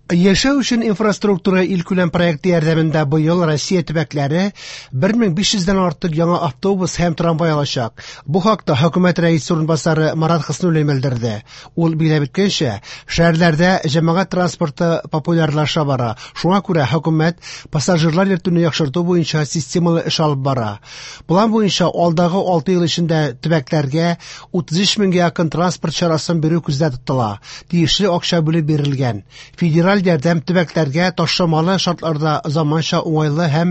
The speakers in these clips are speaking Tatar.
Яшәү өчен инфраструктура илкүләм проекты ярдәмендә быел Россия төбәкләре 1500 дән артык яңа автобус һәм трамвай алачак. Бу хакта хөкүмәт рәисе урынбасары Марат Хөснуллин белдерде. Ул билгеләп үткәнчә, шәһәрләрдә җәмәгать транспорты популярлаша бара. Шуңа күрә хөкүмәт пассажирлар йөртүне яхшырту буенча системалы эш алып бара. План буенча алдагы 6 ел эчендә төбәкләргә 33 меңгә якын транспорт чарасын бирү күздә тотыла. Тиешле акча бүлеп бирелгән. Федераль ярдәм төбәкләргә ташламалы шартларда заманча уңайлы һәм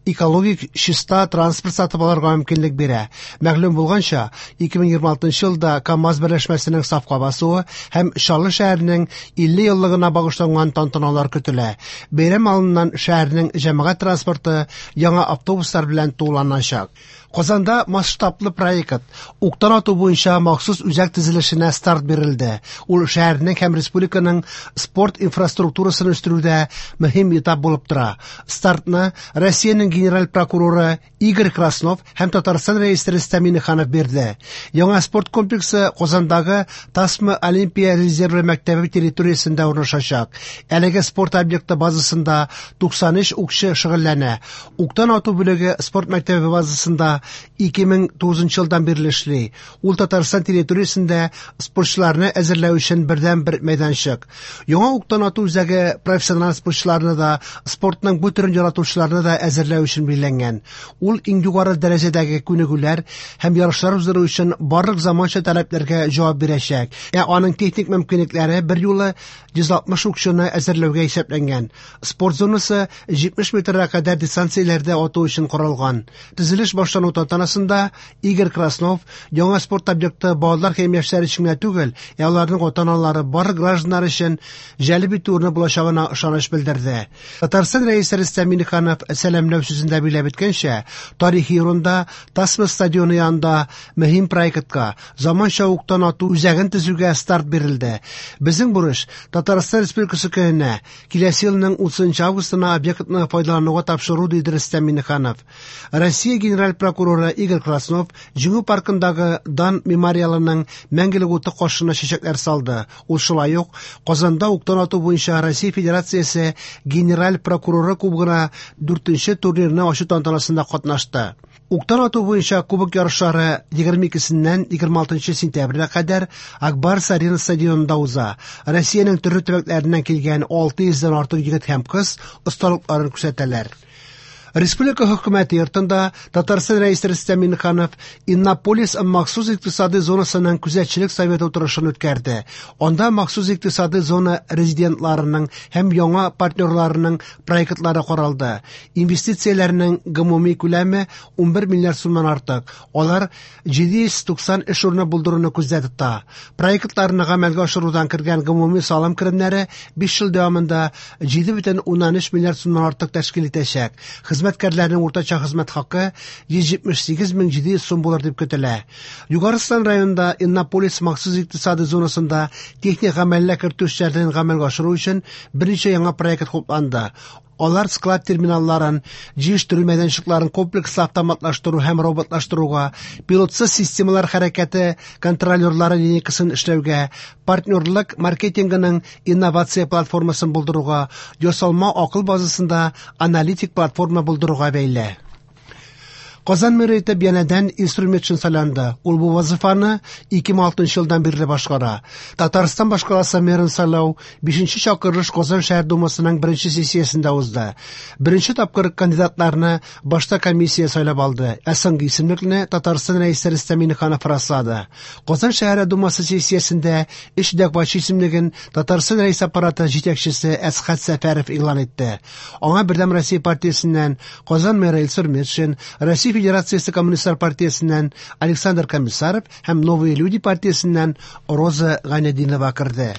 экологик чиста транспорт сатып алырга мөмкинлек бирә. Мәгълүм булганча, 2026 елда КАМАЗ берләшмәсенең сафка басуы һәм Чаллы шәһәренең 50 еллыгына багышланган тантаналар көтелә. Бәйрәм алдыннан шәһәрнең җәмәгать транспорты яңа автобуслар белән тулыланачак. Казанда масштаблы проект уктан ату буенча махсус үзәк төзелешенә старт бирелде. Ул шәһәрнең һәм республиканың спорт инфраструктурасын үстерүдә мөһим этап булып тора. Стартны Россиянең генераль прокуроры Игорь Краснов һәм Татарстан рәисе Рөстәм Миңнеханов бирде. Яңа спорт комплексы Казандагы Тасма Олимпия резервы мәктәбе территориясендә урнашачак. Әлеге спорт объекты базасында 93 укчы шөгыльләнә. Уктан ату бүлеге спорт мәктәбе базасында 2009 елдан бирле эшли. Ул Татарстан территориясендә спортчыларны әзерләү өчен бердән-бер мәйданчык. Яңа уктан ату үзәге профессиональ спортчыларны да, спортның бу төрен яратучыларны да әзерләү өчен билгеләнгән. Ул иң югары дәрәҗәдәге күнегүләр һәм ярышлар уздыру өчен барлык заманча таләпләргә җавап бирәчәк. Ә аның техник мөмкинлекләре берьюлы 160 укчыны әзерләүгә исәпләнгән. Спорт зонасы 70 метрга кадәр дистанцияләрдә ату өчен корылган. Төзелеш башлану тантанасында Игорь Краснов яңа спорт объекты балалар һәм яшьләр өчен генә түгел, ә аларның ата-аналары, барлык гражданнар өчен җәлеп итү урыны булачагына ышаныч белдерде. Татарстан Рәисе Рөстәм Миңнеханов сәламләү сүзендә билгеләп үткәнчә, тарихи урында Тасма стадионы янында мөһим проектка, заманча уктан ату үзәген төзүгә старт бирелде. Безнең бурыч Татарстан Республикасы көненә, киләсе елның 30 августына объектны файдалануга тапшыру, диде Рөстәм Миңнеханов. Россия генераль прокуроры Игорь Краснов Җиңү паркындагы Дан мемориалының мәңгелек уты каршына чәчәкләр салды. Ул шулай ук Казанда уктан ату буенча Россия Федерациясе генераль прокуроры кубогына 4нче турнирны ачу тантанасында катнашты. Уктан ату буенча кубок ярышлары 22-сеннән 26 сентябрьгә кадәр Акбарс Арена стадионында уза. Россиянең төрле төбәкләреннән килгән 600 дән артык егет һәм кыз осталыкларын күрсәтәләр. Республика хөкүмәте йортында Татарстан Рәисе Рөстәм Миңнеханов Иннополис махсус икътисади зонасының күзәтчелек советы утырышын үткәрде. Анда махсус икътисади зона резидентларының һәм яңа партнерларының проектлары каралды. Инвестицияләрнең гомуми күләме 11 миллиард сумнан артык. Алар 790 эш урыны булдыруны күздә тота. Проектларны гамәлгә ашырудан кергән гомуми салым керемнәре 5 ел дәвамында 7,3 миллиард сумнан артык тәшкил итәчәк. Хезмәткәрләрнең уртача хезмәт хакы 178 700 сум булыр дип көтелә. Югары Ослан районында Иннополис махсус икътисади зонасында техник гамәлгә кертү эшләрен гамәлгә ашыру өчен берничә яңа проект хупланды. Алар склад терминалларын, җыештыру мәйданчыкларын комплекслы автоматлаштыру һәм роботлаштыруга, пилотсыз системалар хәрәкәте контролерлары линейкасын эшләүгә, партнерлык маркетингының инновация платформасын булдыруга, ясалма акыл базасында аналитик платформа булдыруга бәйле. Казан мэры итеп янәдән Илсур Метшин сайланды. Ул бу вазифаны 2006 елдан бирле башкара. Татарстан башкаласы мэрын сайлау 5 чакырылыш Казан шәһәр думасының беренче сессиясендә узды. Беренче тапкыр кандидатларны башта комиссия сайлап алды, ә соңгы исемлекне Татарстан Рәисе Рөстәм Миңнеханов раслады. Казан шәһәре думасы сессиясендә өч дәгъвачы исемлеген Татарстан Рәисе аппараты җитәкчесе Әсхәт Сәфәров игълан итте. Аңа Бердәм Россия партиясеннән Казан мэры Илсур Метшин, Россия Федерациясе Коммунистлар партиясеннән Александр Комиссаров һәм Новые люди партиясеннән Роза Гайнетдинова керде.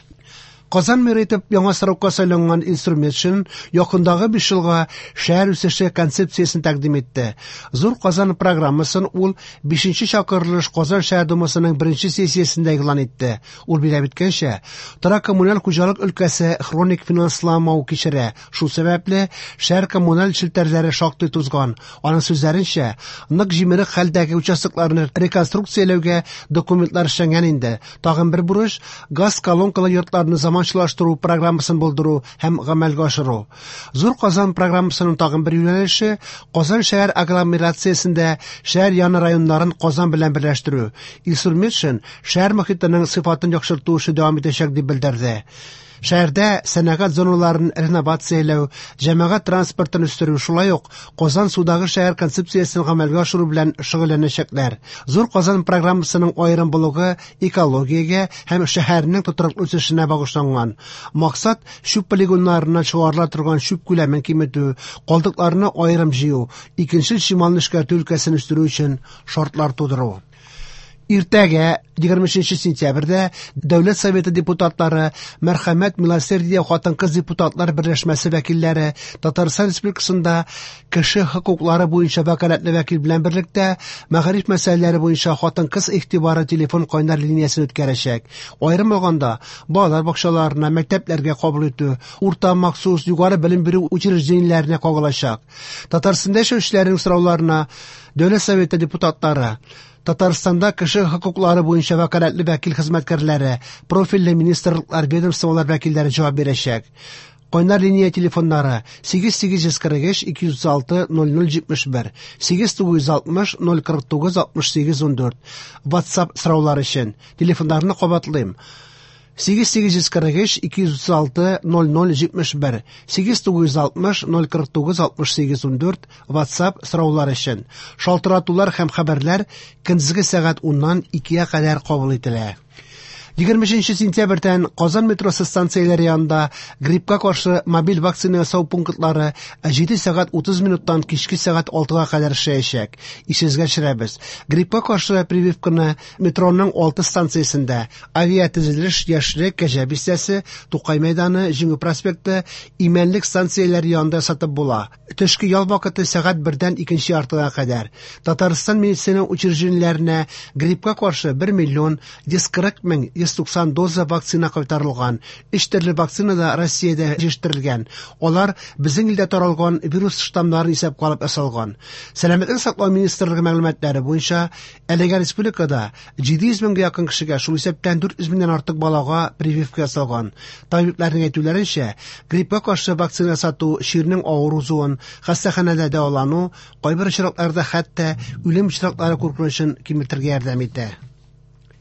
Казан мэры итеп яңа срокка сайланган Илсур Метшин якындагы 5 елга шәһәр үсеше концепциясен тәкъдим итте. Зур Казан программасын ул 5 чакырылыш Казан шәһәр думасының беренче сессиясендә игълан итте. Ул билгеләп үткәнчә, торак коммуналь хуҗалык өлкәсе хроник финансламау кичерә. Шул сәбәпле шәһәр коммуналь челтәрләре шактый тузган. Аның сүзләренчә, нык җимерек хәлдәге участокларны реконструкцияләүгә документлар эшләнгән инде. Тагын бер бурыч газ колонкалы йортларны заманча заманчалаштыру программасын булдыру һәм гамәлгә ашыру. Зур Казан программасының тагын бер юнәлеше Казан шәһәр агломерациясендә шәһәр яны районнарын Казан белән берләштерү. Илсур Метшин шәһәр мохитының сыйфатын яхшырту эше дәвам итәчәк дип белдерде. Шәһәрдә сәнәгать зоналарын реновацияләү, җәмәгать транспортын үстерү, шулай ук Казан судагы шәһәр концепциясен гамәлгә ашыру белән шөгыльләнәчәкләр. Зур Казан программасының аерым блогы экологиягә һәм шәһәрнең тотрыклы үсешенә багышланган. Максат чүп полигоннарыннан чыгарыла торган чүп күләмен киметү, калдыкларны аерым җыю, икенчел чималны эшкәртү өлкәсен үстерү өчен шартлар тудыру. Иртәгә, 23 сентябрьдә, Дәүләт Советы депутатлары, Мәрхәмәт Милосердие хатын-кыз депутатлар берләшмәсе вәкилләре Татарстан Республикасында кеше хокуклары буенча вәкаләтле вәкил белән берлектә мәгариф мәсьәләләре буенча хатын-кыз игътибары телефон кайнар линиясен үткәрәчәк. Аерым алганда, балалар бакчаларына, мәктәпләргә кабул итү, урта махсус, югары белем бирү учреждениеләренә кагылачак. Татарстанда яшәүчеләрнең сорауларына Дәүләт Советы депутатлары, Татарстанда кеше хокуклары буенча вәкаләтле вәкил хезмәткәрләре, профильле министрлыклар, ведомстволар вәкилләре җавап бирәчәк. Кайнар линия телефоннары 8843 236 0071, 8960 049 68 14. WhatsApp сораулар өчен телефоннарны кабатлыйм. 8843 236 0071, 8960 049 68 14 WhatsApp сораулар өчен. Шалтыратулар һәм хәбәрләр көндезге сәгать 10-нан 2-гә кадәр кабул ителә. 23 сентябрьдән Казан метросы станцияләре янында гриппка каршы мобиль вакцина ясау пунктлары 7 сәгать 30 минуттан кичке сәгать 6-га кадәр эшләячәк. Исегезгә төшерәбез. Гриппка каршы прививканы метроның 6 станциясендә Авиатөзелеш, Яшьлек, Кәҗә бистәсе, Тукай мәйданы, Җиңү проспекты, Имәнлек станцияләре янында сатып була. Төшке ял вакыты сәгать 1-дән икенче яртыга кадәр. Татарстан медицина учреждениеләренә гриппка каршы 1 миллион 140 мең 190 доза вакцина кайтарылган. Өч төрле вакцина да Россиядә җитештерелгән. Алар безнең илдә таралган вирус штаммнарын исәпкә алып ясалган. Сәламәтлек саклау министрлыгы мәгълүматлары буенча, әлегә республикада 700 меңгә якын кешегә, шул исәптән 400 меңнән артык балага прививка ясалган. Табибларның әйтүләренчә, гриппка каршы вакцина ясату чирнең авыр узуын, хастаханәдә дәвалану, кайбер очракларда хәтта үлем очраклары куркынычын киметергә ярдәм итә.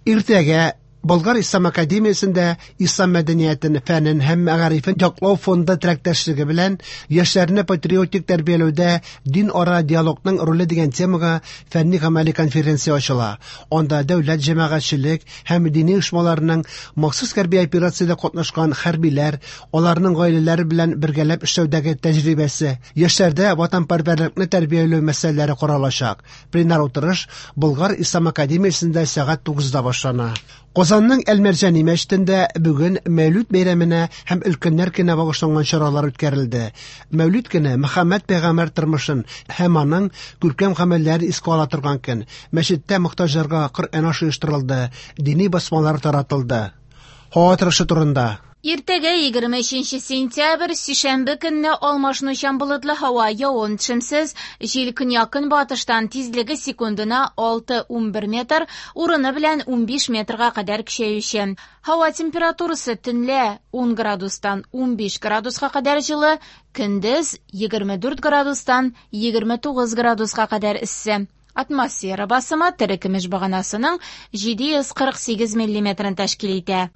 Иртәгә Болгар Ислам академиясендә Ислам мәдәниятен, фәнен һәм мәгарифен яклау фонды теләктәшлеге белән яшьләрне патриотик тәрбияләүдә дин-ара диалогның роле дигән темага фәнни-гамәли конференция ачыла. Анда дәүләт, җәмәгатьчелек һәм дини оешмаларның махсус хәрби операциядә катнашкан хәрбиләр, аларның гаиләләре белән бергәләп эшләүдәге тәҗрибәсе, яшьләрдә ватанпәрвәрлекне тәрбияләү мәсьәләләре каралачак. Пленар утырыш Болгар Ислам академиясендә сәгать 9-да башлана. Казанның Әл-Мәрҗани мәчетендә бүген Мәүлүд бәйрәменә һәм өлкәннәр көненә багышланган чаралар үткәрелде. Мәүлүд көне Мөхәммәд пәйгамбәр тормышын һәм аның күркәм гамәлләрен искә ала торган көн. Мәчеттә мохтаҗларга Коръән ашы оештырылды, дини басмалар таратылды. Һава торышы турында. Иртәгә, 23 сентябрь, сишәмбе көнне алмашынучан болытлы һава, явым-төшемсез, җил көньяк-көнбатыштан, тизлеге секундына 6-11 метр, урыны белән 15 метрга кадәр көчәюче. Һава температурасы төнлә 10 градустан 15 градуска кадәр җылы, көндез 24 градустан 29 градуска кадәр эссе. Атмосфера басымы терекөмеш баганасының 748 миллиметрын тәшкил итә.